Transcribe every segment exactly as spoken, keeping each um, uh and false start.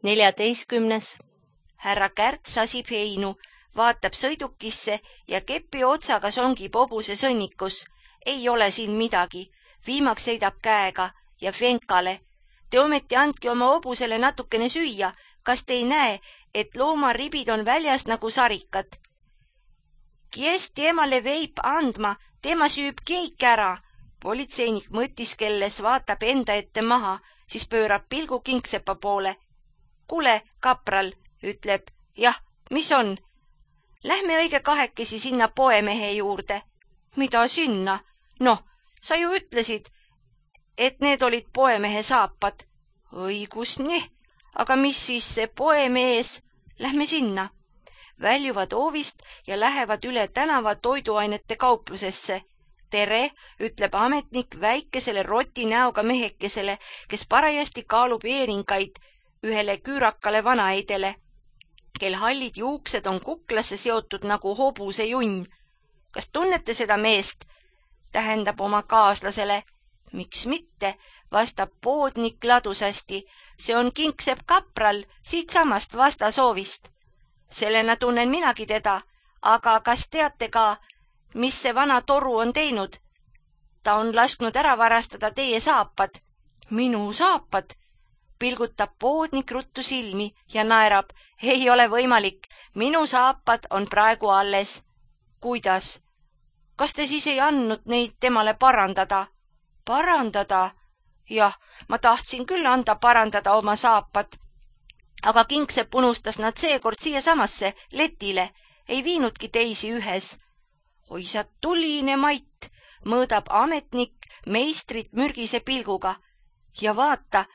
neljateistkümnes. Härra Kärt sasib heinu, vaatab sõidukisse ja kepi otsaga songib hobuse sõnnikus. Ei ole siin midagi. Viimaks heidab käega ja Fenkale. Te ometi andki oma hobusele natukene süüa. Kas te ei näe, et loomaribid on väljas nagu sarikad? Kies temale veib andma, tema süüb keik ära. Politseinik mõtiskelles vaatab enda ette maha, siis pöörab pilgu Kingsepa poole. Kule, kapral, ütleb. Jah, mis on? Lähme õige kahekesi sinna poemehe juurde. Mida sinna? Noh, sa ju ütlesid, et need olid poemehe saapad. Õigus, nii. Aga mis siis see poemees? Lähme sinna. Väljuvad hoovist ja lähevad üle tänava toiduainete kauplusesse. Tere, ütleb ametnik väikesele roti näoga mehekesele, kes parajasti kaalub eeringaid ühele küürakale vanaeidele, kel hallid juuksed on kuklasse seotud nagu hobuse junn. Kas tunnete seda meest? Tähendab oma kaaslasele. Miks mitte, vastab poodnik ladusasti. See on Kingsepp kapral, siit samast vastasoovist. Sellena tunnen minagi teda, aga kas teate ka, mis see vana toru on teinud? Ta on lasknud ära varastada teie saapad. Minu saapad? Pilgutab poodnik ruttu silmi ja naerab. Ei ole võimalik, minu saapad on praegu alles. Kuidas? Kas te siis ei andnud neid temale parandada? Parandada? Jah, ma tahtsin küll anda parandada oma saapad. Aga Kingsepp unustas nad seekord siia samasse letile, ei viinudki teisi ühes. Oi sa tuline Mait, mõõdab ametnik meistrit mürgise pilguga. Ja vaata,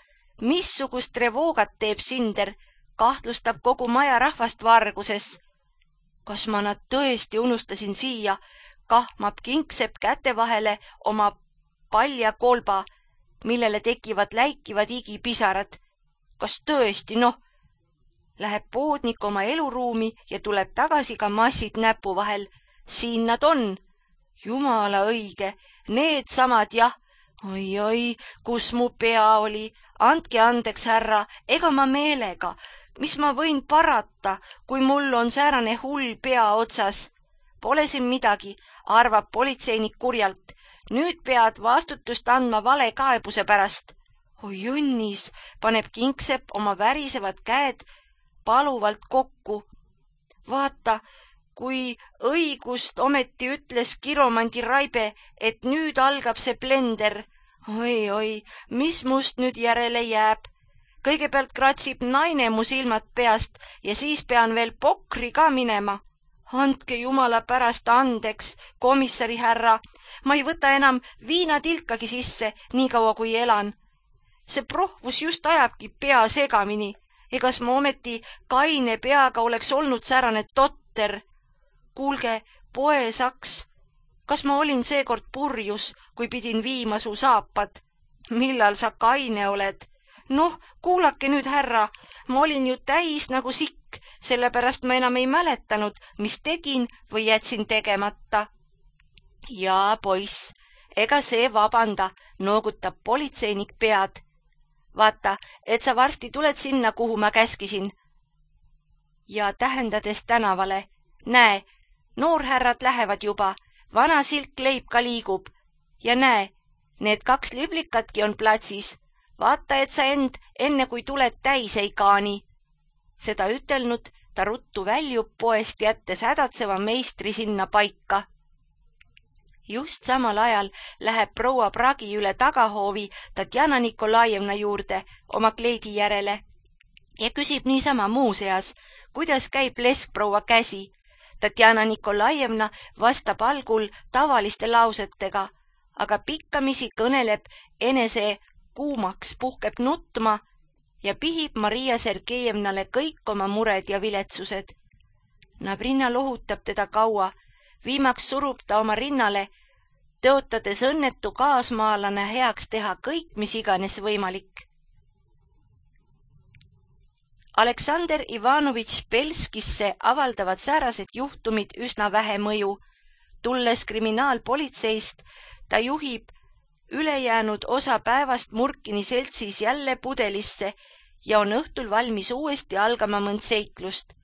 missugust revoogat teeb Sinder, kahtlustab kogu maja rahvast varguses. Kas ma nad tõesti unustasin siia, kahmab Kingsepp käte vahele oma palja kolba, millele tekivad läikivad igipisarad. Kas tõesti, noh? Läheb poodnik oma eluruumi ja tuleb tagasi ka massid näpu vahel. Siin nad on. Jumala õige, need samad jah. Oi, oi, kus mu pea oli. Andke andeks, härra, ega ma meelega. Mis ma võin parata, kui mul on säärane hull pea otsas? Pole siin midagi, arvab politseinik kurjalt. Nüüd pead vastutust andma vale kaebuse pärast. Oi õnnis, paneb Kingsepp oma värisevad käed paluvalt kokku. Vaata, kui õigust ometi ütles kiromandi Raibe, et nüüd algab see blender. Oi, oi, mis must nüüd järele jääb? Kõigepealt kratsib naine mu silmad peast ja siis pean veel pokri ka minema. Andke jumala pärast andeks, komissari härra, ma ei võta enam viinatilkagi sisse, nii kaua kui elan. See prohvus just ajabki pea segamini. Egas ma ometi kaine peaga oleks olnud säärane totter. Kuulge, poesaks, kas ma olin seekord purjus, kui pidin viima su saapad? Millal sa kaine oled? Noh, kuulake nüüd, härra, ma olin ju täis nagu sikk, sellepärast ma enam ei mäletanud, mis tegin või jätsin tegemata. Jaa, poiss, ega see vabanda, noogutab politseinik pead. Vaata, et sa varsti tuled sinna, kuhu ma käskisin. Ja tähendades tänavale, näe, noorhärrad lähevad juba, vana silkleib ka liigub. Ja näe, need kaks liblikatki on platsis. Vaata, et sa end, enne kui tuled täis ei kaani. Seda ütelnud, ta ruttu väljub poest jättes hädatseva meistri sinna paika. Just samal ajal läheb proua Pragi üle tagahoovi Tatjana Nikolajevna juurde oma kleidi järele ja küsib niisama muuseas, kuidas käib leskproua käsi. Tatjana Nikolajevna vastab algul tavaliste lausetega, aga pikkamisi kõneleb enese kuumaks, puhkeb nutma ja pihib Maria Sergejevnale kõik oma mured ja viletsused. Nabrinna lohutab teda kaua, viimaks surub ta oma rinnale, tõotades õnnetu kaasmaalane heaks teha kõik, mis iganes võimalik. Aleksander Ivanovitš Belskisse avaldavad säärased juhtumid üsna vähe mõju. Tulles kriminaalpolitseist, ta juhib ülejäänud osa päevast Murkini seltsis jälle pudelisse ja on õhtul valmis uuesti algama mõnd seiklust.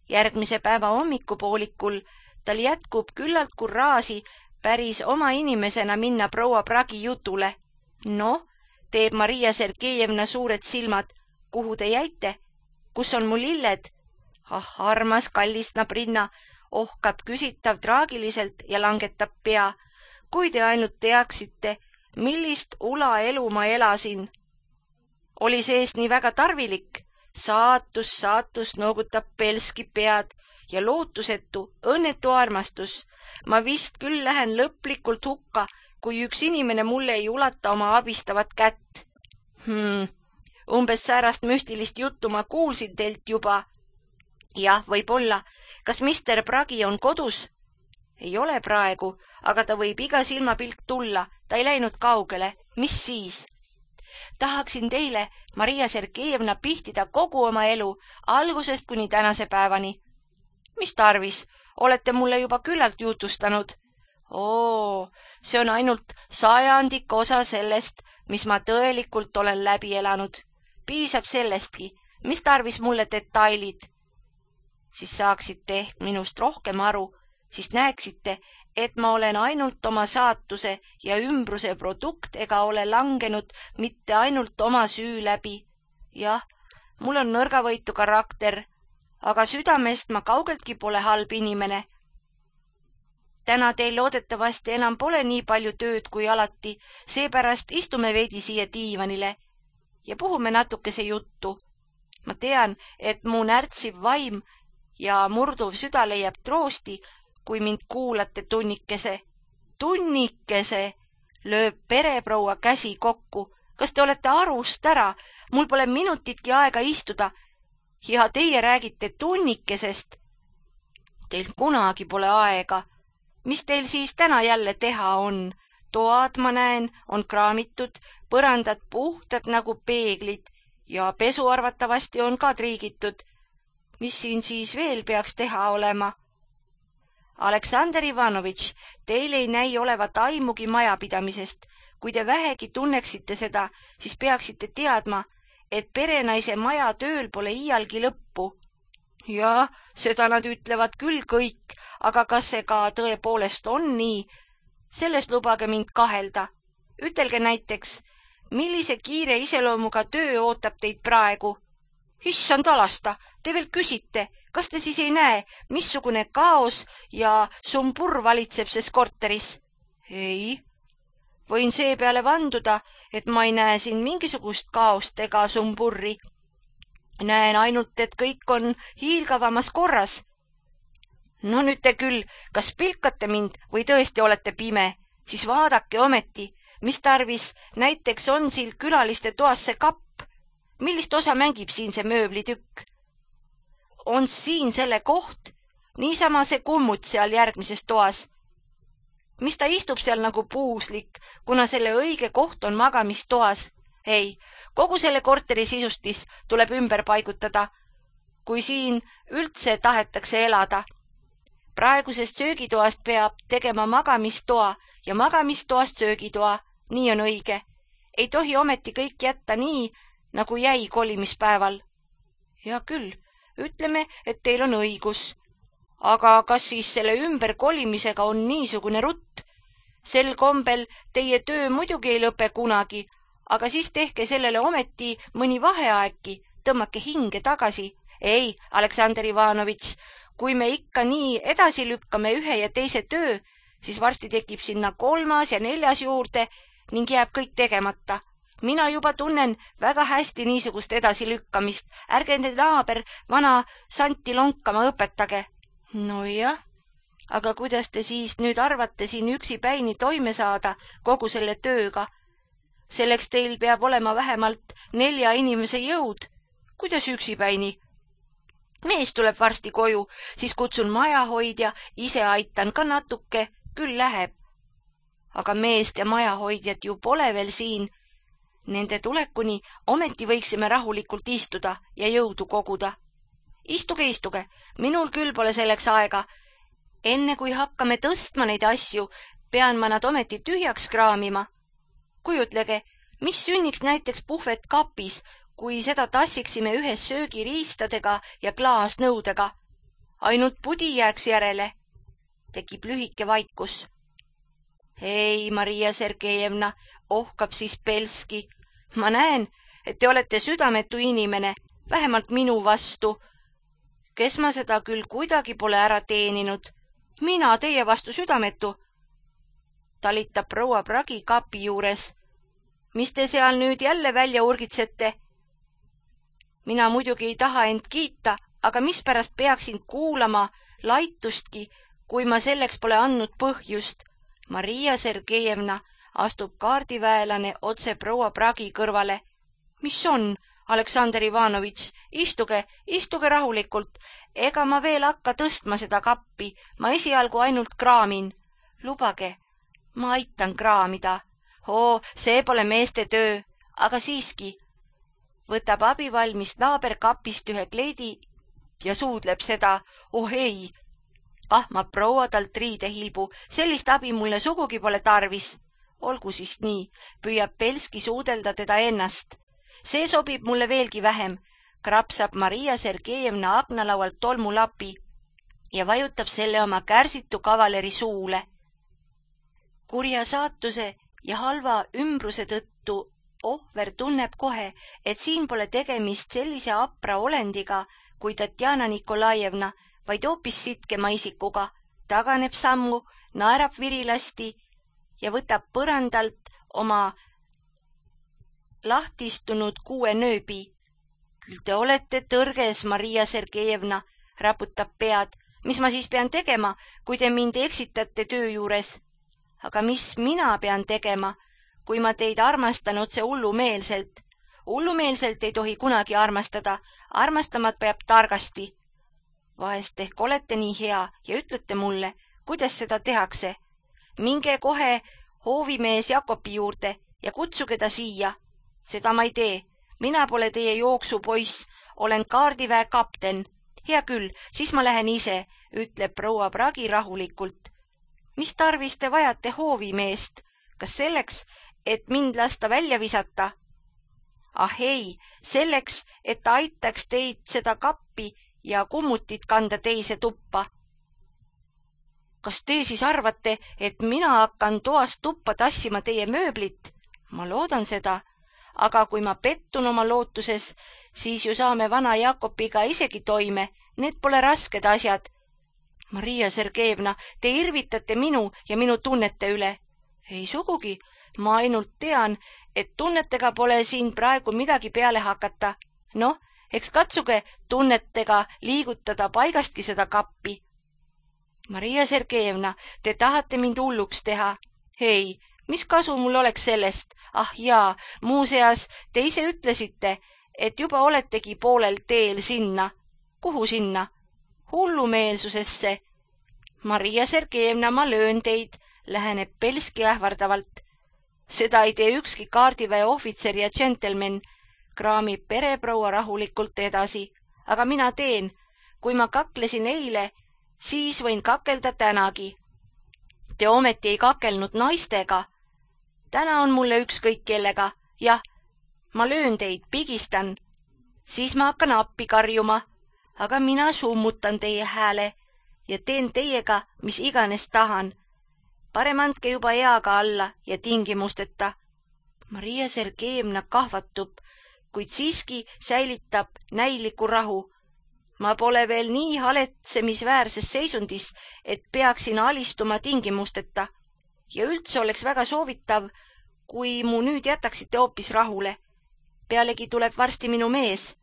Järgmise päeva hommikupoolikul tal jätkub küllalt kurraasi päris oma inimesena minna proua Pragi jutule. No, teeb Maria Sergejevna suured silmad. Kuhu te jäite? Kus on mu lilled? Ah, armas kallis nabrinna, ohkab küsitav traagiliselt ja langetab pea. Kui te ainult teaksite, millist ula elu ma elasin. Oli sees nii väga tarvilik. Saatus, saatus noogutab pelski pead ja lootusetu, õnnetu armastus. Ma vist küll lähen lõplikult hukka, kui üks inimene mulle ei ulata oma abistavat kätt. Hmm, umbes säärast müstilist juttu ma kuulsin teilt juba. Jah, võib-olla. Kas mister Pragi on kodus? Ei ole praegu, aga ta võib iga silmapilk tulla. Ta ei läinud kaugele. Mis siis? Tahaksin teile, Maria Sergejevna, pihtida kogu oma elu, algusest kuni tänase päevani. Mis tarvis? Olete mulle juba küllalt jutustanud. Oo, see on ainult sajandik osa sellest, mis ma tõelikult olen läbi elanud. Piisab sellestki. Mis tarvis mulle detailid? Siis saaksite ehk minust rohkem aru, siis näeksite, et ma olen ainult oma saatuse ja ümbruse produkt ega ole langenud mitte ainult oma süü läbi. Jah, mul on nõrgavõitu karakter, aga südamest ma kaugeltki pole halb inimene. Täna teil loodetavasti enam pole nii palju tööd kui alati, seepärast istume veidi siia diivanile ja puhume natukese juttu. Ma tean, et mu närtsiv vaim ja murduv süda leiab troosti, kui mind kuulate tunnikese. Tunnikese, lööb pereproua käsi kokku. Kas te olete arust ära? Mul pole minutitki aega istuda. Ja teie räägite tunnikesest. Teil kunagi pole aega. Mis teil siis täna jälle teha on? Toad, ma näen, on kraamitud, põrandad puhtad nagu peeglid ja pesu arvatavasti on ka triigitud. Mis siin siis veel peaks teha olema? Aleksander Ivanovitš, teil ei näi olevat aimugi majapidamisest. Kui te vähegi tunneksite seda, siis peaksite teadma, et perenaise maja tööl pole iialgi lõppu. Ja, seda nad ütlevad küll kõik, aga kas see ka tõepoolest on nii? Sellest lubage mind kahelda. Ütelge näiteks, millise kiire iseloomuga töö ootab teid praegu? Issand alasta, te veel küsite, kas te siis ei näe, missugune kaos ja sumbur valitseb ses korteris? Ei, võin seepeale vanduda, et ma ei näe siin mingisugust kaost ega sumburri. Näen ainult, et kõik on hiilgavamas korras. No nüüd te küll, kas pilkate mind või tõesti olete pime, siis vaadake ometi, mis tarvis näiteks on siin külaliste toas see kapp. Millist osa mängib siin see mööblitükk? On siin selle koht, niisama see kummut seal järgmises toas. Mis ta istub seal nagu puuslik, kuna selle õige koht on magamistoas? Ei, kogu selle korteri sisustis tuleb ümber paigutada, kui siin üldse tahetakse elada. Praegusest söögitoast peab tegema magamistoa ja magamistoast söögitoa, nii on õige. Ei tohi ometi kõik jätta nii, nagu jäi kolimispäeval. Ja küll, ütleme, et teil on õigus. Aga kas siis selle ümber kolimisega on niisugune rutt? Sel kombel teie töö muidugi ei lõpe kunagi, aga siis tehke sellele ometi mõni vaheaegki, tõmmake hinge tagasi. Ei, Aleksander Ivanovitš, kui me ikka nii edasi lükkame ühe ja teise töö, siis varsti tekib sinna kolmas ja neljas juurde ning jääb kõik tegemata. Mina juba tunnen väga hästi niisugust edasilükkamist. Ärge need naaber vana Santi lonkama õpetage. No jah, aga kuidas te siis nüüd arvate siin üksipäini toime saada kogu selle tööga? Selleks teil peab olema vähemalt nelja inimese jõud. Kuidas üksipäini? Mees tuleb varsti koju, siis kutsun majahoidja, ise aitan ka natuke, küll läheb. Aga meest ja majahoidjat ju pole veel siin. Nende tulekuni ometi võiksime rahulikult istuda ja jõudu koguda. Istuge, istuge, minul küll pole selleks aega. Enne kui hakkame tõstma neid asju, pean ma nad ometi tühjaks kraamima. Kujutlege, mis sünniks näiteks puhvet kapis, kui seda tassiksime ühes söögiriistadega ja klaasnõudega. Ainult pudi jääks järele. Tekib lühike vaikus. Ei, Maria Sergejevna, ohkab siis Belski. Ma näen, et te olete südametu inimene, vähemalt minu vastu. Kes ma seda küll kuidagi pole ära teeninud. Mina teie vastu südametu. Talitab proua Pragi kapi juures. Mis te seal nüüd jälle välja urgitsete? Mina muidugi ei taha end kiita, aga mispärast peaksin kuulama laitustki, kui ma selleks pole andnud põhjust. Maria Sergejevna, astub kaardiväelane otse proua Pragi kõrvale. Mis on, Aleksander Ivanovitš, istuge, istuge rahulikult. Ega ma veel hakka tõstma seda kappi, ma esialgu ainult kraamin. Lubage, ma aitan kraamida. Oo, see pole meeste töö, aga siiski. Võtab abivalmis naaberkapist ühe kleidi ja suudleb seda. Oh ei, ahmab proua talt riidehilbu, sellist abi mulle sugugi pole tarvis. Olgu siis nii, püüab Belski suudelda teda ennast. See sobib mulle veelgi vähem, krapsab Maria Sergejevna aknalaualt tolmulapi ja vajutab selle oma kärsitu kavaleri suule. Kurja saatuse ja halva ümbruse tõttu ohver tunneb kohe, et siin pole tegemist sellise apra olendiga kui Tatjana Nikolajevna, vaid hoopis sitkema isikuga, taganeb sammu, naerab virilasti ja võtab põrandalt oma lahtistunud kuue nööbi. Küll te olete tõrges, Maria Sergejevna, raputab pead. Mis ma siis pean tegema, kui te mind eksitate töö juures? Aga mis mina pean tegema, kui ma teid armastan otse hullumeelselt? Hullumeelselt ei tohi kunagi armastada, armastamat peab targasti. Vahest ehk olete nii hea ja ütlete mulle, kuidas seda tehakse. Minge kohe hoovimees Jakobi juurde ja kutsuge ta siia. Seda ma ei tee. Mina pole teie jooksupoiss, olen kaardiväe kapten. Hea küll, siis ma lähen ise, ütleb proua Pragi rahulikult. Mis tarvis te vajate hoovimeest? Kas selleks, et mind lasta välja visata? Ah ei, selleks, et ta aitaks teid seda kappi ja kummutit kanda teise tuppa. Kas te siis arvate, et mina hakkan toast tuppa tassima teie mööblit? Ma loodan seda. Aga kui ma pettun oma lootuses, siis ju saame vana Jakobiga isegi toime. Need pole rasked asjad. Maria Sergejevna, te irvitate minu ja minu tunnete üle. Ei sugugi, ma ainult tean, et tunnetega pole siin praegu midagi peale hakata. Noh, eks katsuge tunnetega liigutada paigastki seda kappi. Maria Sergejevna, te tahate mind hulluks teha. Ei, mis kasu mul oleks sellest? Ah jaa, muuseas, te ise ütlesite, et juba oletegi poolel teel sinna. Kuhu sinna? Hullumeelsusesse. Maria Sergejevna, ma löön teid, läheneb Belski ähvardavalt. Seda ei tee ükski kaardiväe ohvitser ja džentelmen, kraamib pereproua rahulikult edasi. Aga mina teen, kui ma kaklesin eile, siis võin kakelda tänagi. Te ometi ei kakelnud naistega. Täna on mulle ükskõik kellega. Jah, ma löön teid, pigistan. Siis ma hakkan appi karjuma, aga mina summutan teie hääle ja teen teiega, mis iganes tahan. Parem andke juba eaga alla ja tingimusteta. Maria Sergejevna kahvatub, kuid siiski säilitab näiliku rahu. Ma pole veel nii haletsemisväärses seisundis, et peaksin alistuma tingimusteta. Ja üldse oleks väga soovitav, kui mu nüüd jätaksite hoopis rahule. Pealegi tuleb varsti minu mees.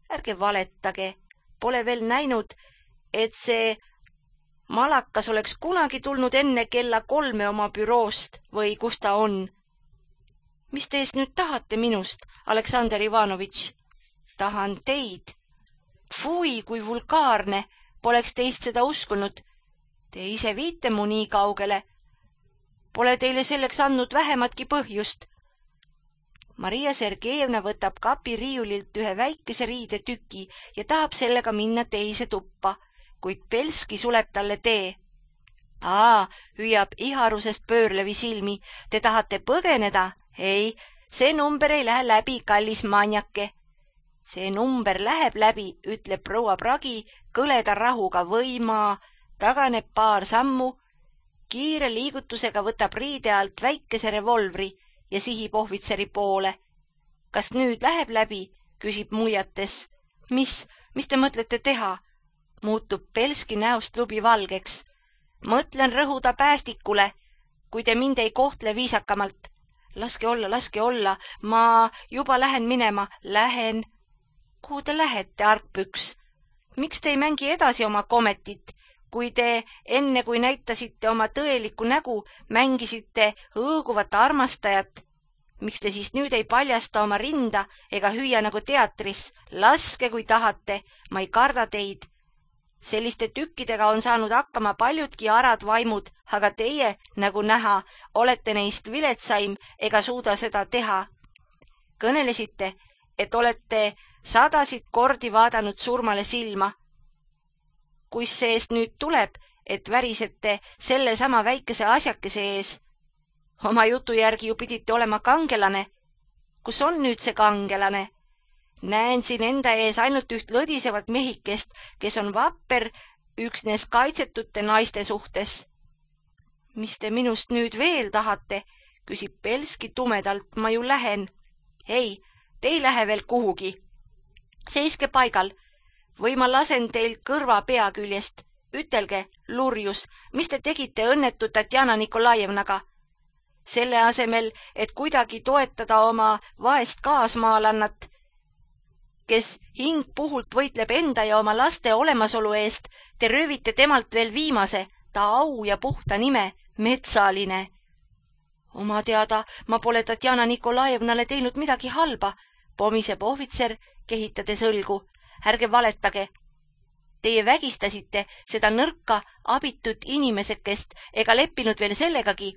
Ärge valetage, pole veel näinud, et see malakas oleks kunagi tulnud enne kella kolme oma büroost või kus ta on. Mis te eest nüüd tahate minust, Aleksander Ivanovitš? Tahan teid. Fui, kui vulgaarne, poleks teist seda uskunud. Te ise viite mu nii kaugele. Pole teile selleks andnud vähematki põhjust. Maria Sergejevna võtab kapi riiulilt ühe väikese riidetüki ja tahab sellega minna teise tuppa, kuid Belski suleb talle tee. Aa, hüüab iharusest pöörlevi silmi. Te tahate põgeneda? Ei, see number ei lähe läbi, kallis manjake. see number läheb läbi, ütleb proua Pragi kõleda rahuga või ma taganeb paar sammu, kiire liigutusega võtab riide alt väikese revolvri ja sihib ohvitseri poole. Kas nüüd läheb läbi, küsib muiates. Mis, mis te mõtlete teha? Muutub Belski näost lubi valgeks. Mõtlen rõhuda päästikule, kui te mind ei kohtle viisakamalt. Laske olla, laske olla, ma juba lähen minema, lähen. Kuhu te lähete, argpüks? Miks te ei mängi edasi oma kometit, kui te enne kui näitasite oma tõelikku nägu, mängisite õõguvat armastajat? Miks te siis nüüd ei paljasta oma rinda ega hüüa nagu teatris? Laske, kui tahate, ma ei karda teid. Selliste tükkidega on saanud hakkama paljudki arad vaimud, aga teie, nagu näha, olete neist viletsaim ega suuda seda teha. Kõnelesite, et olete sadasid kordi vaadanud surmale silma. Kus seest nüüd tuleb, et värisete selle sama väikese asjakese ees? Oma jutu järgi ju pidite olema kangelane. Kus on nüüd see kangelane? Näen siin enda ees ainult üht lõdisevat mehikest, kes on vapper üksnes kaitsetute naiste suhtes. Mis te minust nüüd veel tahate, küsib Belski tumedalt, ma ju lähen. Ei, te ei lähe veel kuhugi. Seiske paigal või ma lasen teil kõrva pea küljest. Ütelge, lurjus, mis te tegite õnnetu Tatjana Nikolajevnaga? Selle asemel, et kuidagi toetada oma vaest kaasmaalannat, kes hing puhult võitleb enda ja oma laste olemasolu eest, te röövite temalt veel viimase, ta au ja puhta nime, metsaline. Oma teada ma pole Tatjana Nikolajevnale teinud midagi halba, pomiseb ohvitser, kehitades õlgu. Ärge valetage. Teie vägistasite seda nõrka, abitut inimesekest ega leppinud veel sellegagi,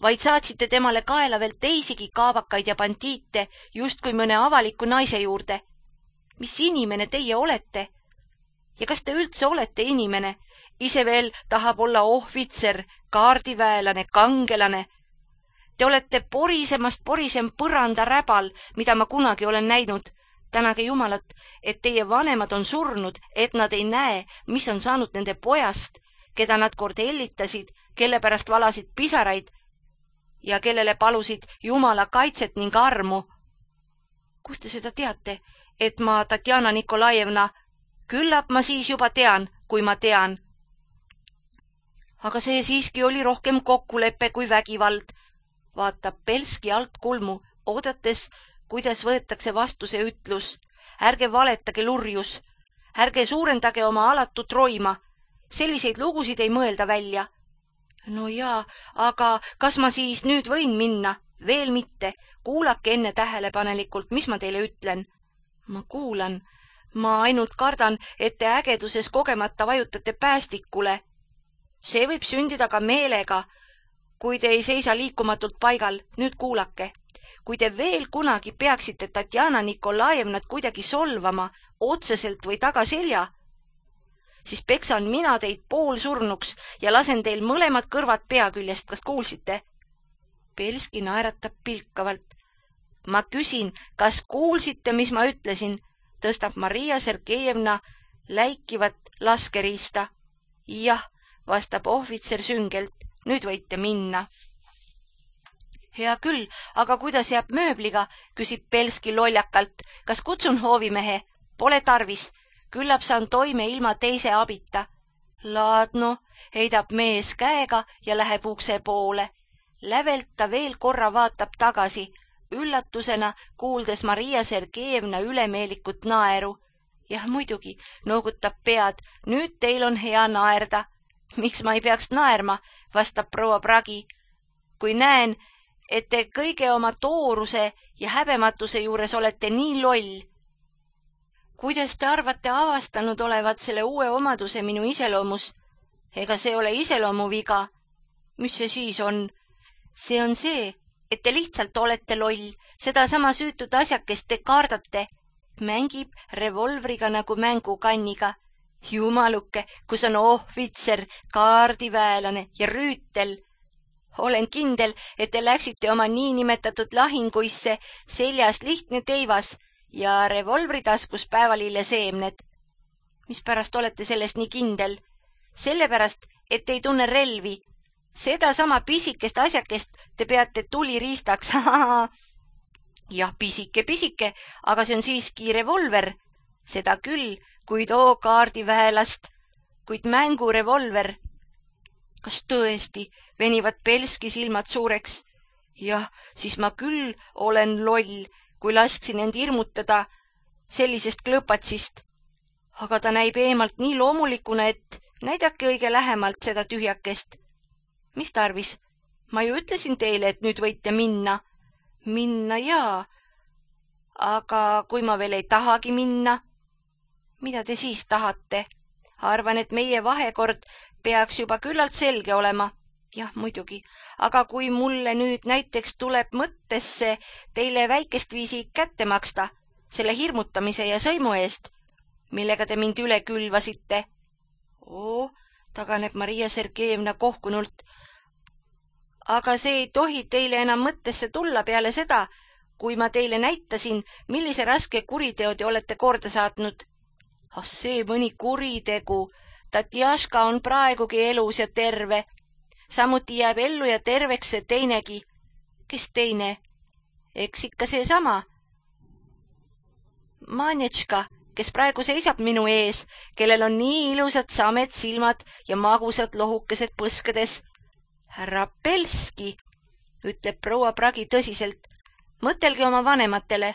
vaid saatsite temale kaela veel teisigi kaabakaid ja bandiite just kui mõne avaliku naise juurde. Mis inimene teie olete? Ja kas te üldse olete inimene? Ise veel tahab olla ohvitser, kaardiväelane, kangelane. Te olete porisemast porisem põranda räbal, mida ma kunagi olen näinud. Tänage Jumalat, et teie vanemad on surnud, et nad ei näe, mis on saanud nende pojast, keda nad kord ellitasid, kelle pärast valasid pisaraid ja kellele palusid Jumala kaitset ning armu. Kus te seda teate, et ma Tatjana Nikolajevna, küllap ma siis juba tean, kui ma tean. Aga see siiski oli rohkem kokkulepe kui vägivald, vaatab Belski alt kulmu, oodates, kuidas võetakse vastu see ütlus. Ärge valetage, lurjus, ärge suurendage oma alatut roima, selliseid lugusid ei mõelda välja. No jaa, aga kas ma siis nüüd võin minna? Veel mitte, kuulake enne tähelepanelikult, mis ma teile ütlen. Ma kuulan, ma ainult kardan, et te ägeduses kogemata vajutate päästikule. See võib sündida ka meelega, kui te ei seisa liikumatult paigal. Nüüd kuulake. Kui te veel kunagi peaksite Tatjana Nikolajevnat kuidagi solvama, otseselt või tagaselja, siis peksan mina teid poolsurnuks ja lasen teil mõlemad kõrvad pea küljest. Kas kuulsite? Belski naeratab pilkavalt. Ma küsin, kas kuulsite, mis ma ütlesin? Tõstab Maria Sergejevna läikivat laskeriista. Jah, vastab ohvitser süngelt. Nüüd võite minna. Hea küll, aga kuidas jääb mööbliga, küsib Belski loljakalt. Kas kutsun hoovimehe? Pole tarvis. Küllap saan toime ilma teise abita. Laadno, heidab mees käega ja läheb ukse poole. Lävelt ta veel korra vaatab tagasi, üllatusena kuuldes Maria Sergejevna ülemeelikut naeru. Jah, muidugi, noogutab pead, nüüd teil on hea naerda. Miks ma ei peaks naerma, vastab proua Pragi. Kui näen, et te kõige oma tooruse ja häbematuse juures olete nii loll. Kuidas te arvate avastanud olevat selle uue omaduse minu iseloomus? Ega see ole iseloomuviga. Mis see siis on? See on see, et te lihtsalt olete loll, seda sama süütud asjakest te kaardate. Mängib revolvriga nagu mängukanniga. Jumaluke, kus on ohvitser, kaardiväelane ja rüütel. Olen kindel, et te läksite oma niinimetatud lahinguisse seljast lihtne teivas ja revolvri taskus päevalille seemned. Mispärast olete sellest nii kindel? Sellepärast, et ei tunne relvi. Seda sama pisikest asjakest te peate tuliriistaks. Jah, pisike, pisike, aga see on siiski revolver. Seda küll, kuid oo kaardiväelast, kuid mängurevolver. Kas tõesti venivad Belski silmad suureks? Jah, siis ma küll olen loll, kui lasksin end hirmutada sellisest klõpatsist. Aga ta näib eemalt nii loomulikuna, et näidake õige lähemalt seda tühjakest. Mis tarvis? Ma ju ütlesin teile, et nüüd võite minna. Minna jaa. Aga kui ma veel ei tahagi minna? Mida te siis tahate? Arvan, et meie vahekord peaks juba küllalt selge olema. Jah, muidugi. Aga kui mulle nüüd näiteks tuleb mõttesse teile väikest viisi kätte maksta, selle hirmutamise ja sõimu eest, millega te mind üle külvasite. Oo, taganeb Maria Sergejevna kohkunult. Aga see ei tohi teile enam mõttesse tulla peale seda, kui ma teile näitasin, millise raske kuriteo te olete korda saatnud. Ah, see mõni kuritegu. Tatjaška on praegugi elus ja terve. Samuti jääb ellu ja terveks see teinegi. Kes teine? Eks ikka see sama. Manječka, kes praegu seisab minu ees, kellel on nii ilusad samed silmad ja magusad lohukesed põskedes. Härra Belski, ütleb proua Pragi tõsiselt. Mõtelge oma vanematele.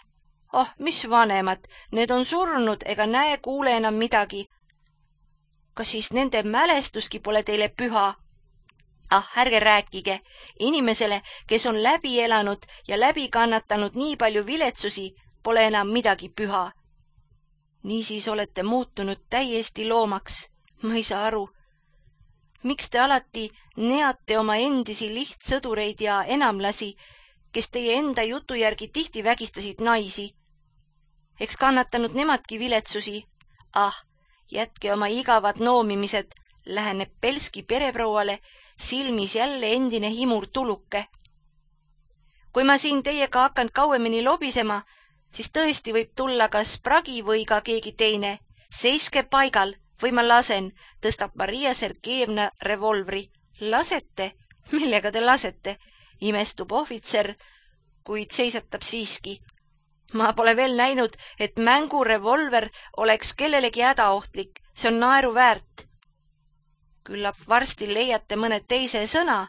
Oh, mis vanemad, need on surnud ega näe kuule enam midagi. Kas siis nende mälestuski pole teile püha? Ah, ärge rääkige. Inimesele, kes on läbi elanud ja läbi kannatanud nii palju viletsusi, pole enam midagi püha. Niisiis olete muutunud täiesti loomaks. Ma ei saa aru. Miks te alati neate oma endisi lihtsõdureid ja enamlasi, kes teie enda jutu järgi tihti vägistasid naisi? Eks kannatanud nemadki viletsusi. Ah, jätke oma igavad noomimised, läheneb Belski pereprouale, silmis jälle endine himur tuluke. Kui ma siin teiega hakkan kauemini lobisema, siis tõesti võib tulla kas Pragi või ka keegi teine. Seiske paigal või ma lasen, tõstab Maria Sergejevna revolvri. Lasete? Millega te lasete? Imestub ohvitser, kuid seisatab siiski. Ma pole veel näinud, et mängurevolver oleks kellelegi hädaohtlik. See on naeru väärt. Küllap varsti leiate mõne teise sõna.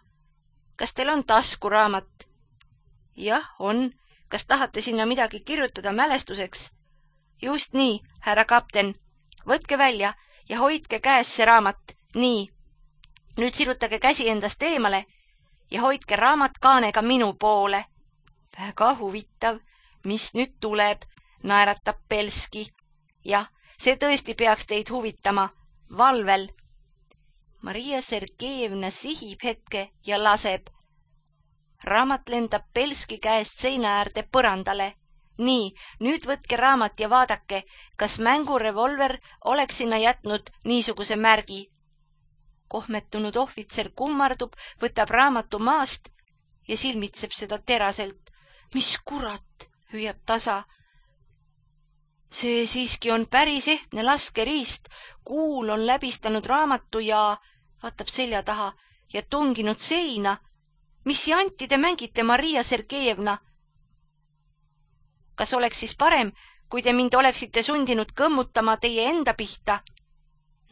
Kas teil on taskuraamat? Jah, on. Kas tahate sinna midagi kirjutada mälestuseks? Just nii, härra kapten. Võtke välja ja hoidke käes see raamat. Nii. Nüüd sirutage käsi endast eemale ja hoidke raamat kaanega minu poole. Väga huvitav. Mis nüüd tuleb, naeratab Belski. Jah, see tõesti peaks teid huvitama. Valvel. Maria Sergejevna sihib hetke ja laseb. Raamat lendab Belski käest seina äärde põrandale. Nii, nüüd võtke raamat ja vaadake, kas mängurevolver oleks sinna jätnud niisuguse märgi. Kohmetunud ohvitser kummardub, võtab raamatu maast ja silmitseb seda teraselt. Mis kurat? Hüüab tasa. See siiski on päris ehtne laskeriist. Kuul on läbistanud raamatu ja vaatab selja taha ja tunginud seina. Mis janti te mängite, Maria Sergejevna? Kas oleks siis parem, kui te mind oleksite sundinud kõmmutama teie enda pihta?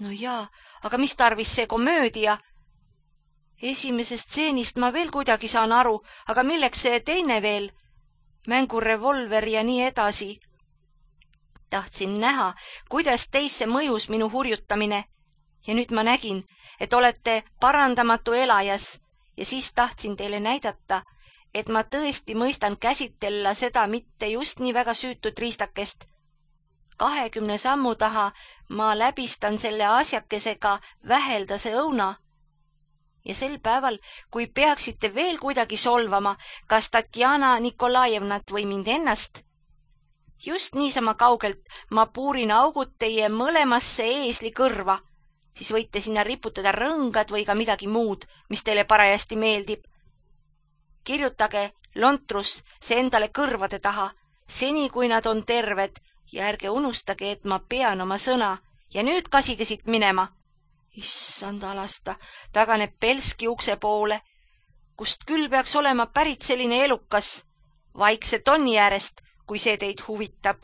No jaa, aga mis tarvis see komöödia? Esimesest stseenist ma veel kuidagi saan aru, aga milleks see teine veel? Mängurevolver ja nii edasi. Tahtsin näha, kuidas teisse mõjus minu hurjutamine ja nüüd ma nägin, et olete parandamatu elajas ja siis tahtsin teile näidata, et ma tõesti mõistan käsitella seda mitte just nii väga süütut riistakest. Kahekümne sammu taha ma läbistan selle asjakesega väheldase õuna. Ja sel päeval, kui peaksite veel kuidagi solvama, kas Tatjana Nikolajevnat või mind ennast, just niisama kaugelt ma puurin augud teie mõlemasse eesli kõrva, siis võite sinna riputada rõngad või ka midagi muud, mis teile parajasti meeldib. Kirjutage lontrus see endale kõrvade taha seni kui nad on terved ja ärge unustage, et ma pean oma sõna ja nüüd kasige siit minema. Issand alasta, taganeb Belski ukse poole, kust küll peaks olema pärit selline elukas. Vaikselt onni äärest, kui see teid huvitab.